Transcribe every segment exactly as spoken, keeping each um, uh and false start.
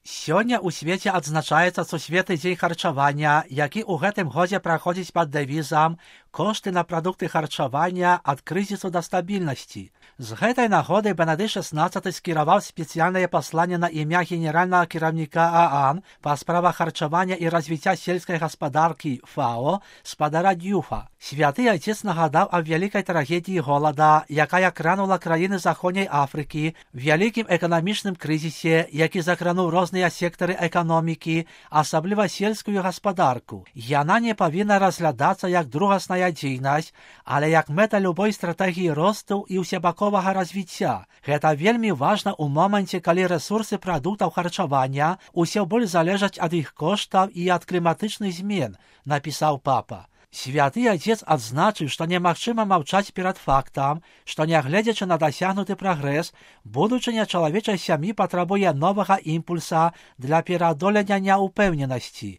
Сёння ў свеце адзначаецца сусветны дзень харчавання, які ў гэтым годзе праходзіць пад дэвізам «Кошты на прадукты харчавання ад крызісу да стабільнасці». З гэтай нагоды Бенедыкт шаснаццаты скіраваў спецыяльнае пасланне на імя генеральнага кіраўніка ААН па справах харчавання і развіцця сельскай гаспадаркі ФАО спадара Дюфа. Святы Айцец нагадаў аб вялікай трагедыі голада, якая кранула краіны Заходняй Афрыкі, вялікім эканамічным крызісе, які закрануў розныя сектары эканомікі, асабліва сельскую гаспадарку. Яна не павінна разглядацца як другасная дзейнасць, але як мэта любой стратэгіі росту і ўсебаковага развіцця. Гэта вельмі важна ў моманце, калі рэсурсы прадуктаў харчавання ўсё больш залежаць ад іх коштаў і ад кліматычных змен, напісаў папа. Святы Айцец адзначыў, што немагчыма маўчаць перад фактам, што нягледзячы на дасягнуты прагрэс, будучыня чалавечай сям'і патрабуе новага імпульса для пераадолення няўпэўненасці.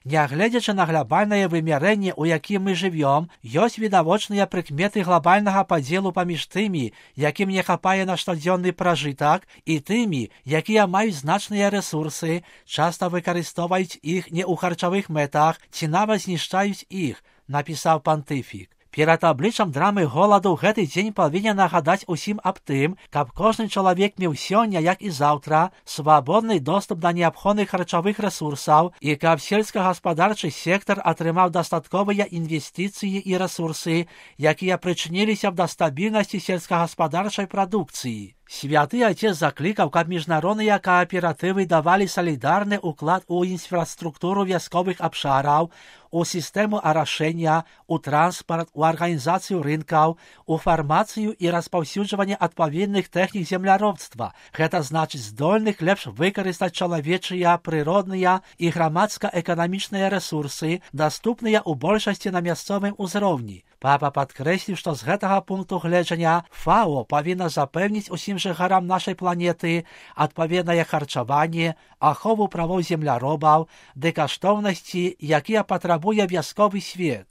Нягледзячы на глобальнае вымярэнне, у якім мы жывём, ёсць відавочныя прыкметы глобальнага падзелу паміж тымі, якім не хапае на штодзённы пражытак, і тымі, якія маюць значныя рэсурсы, часта выкарыстоўваюць іх не ў харчавых мэтах ці нават знішчаюць іх, напісаў пантыфік. Перад абліччам драмы голаду гэты дзень павінен нагадаць усім аб тым, каб кожны чалавек меў сёння, як і заўтра, свабодны доступ да неабходных харчавых рэсурсаў і каб сельскагаспадарчы сектар атрымаў дастатковыя інвестыцыі і рэсурсы, якія прычыніліся б да стабільнасці сельскагаспадарчай прадукцыі. Святы Айцец заклікаў, каб міжнародныя кааператывы давалі салідарны ўклад у інфраструктуру вясковых абшараў, у сістэму арашэння, у транспарт, у арганізацыю рынкаў, у фармацыю і распаўсюджванне адпаведных тэхнік земляробства. Гэта значыць здольных лепш выкарыстаць чалавечыя, прыродныя і грамадска-эканамічныя рэсурсы, даступныя ў большасці на мясцовым узроўні. Папа падкрэсліў, што з гэтага пункту гледжання ФАО павінна запэўніць усім жыхарам нашай планеты адпаведнае харчаванне, ахову правоў земляробаў, ды каштоўнасці, якія патрабуе вясковы свет.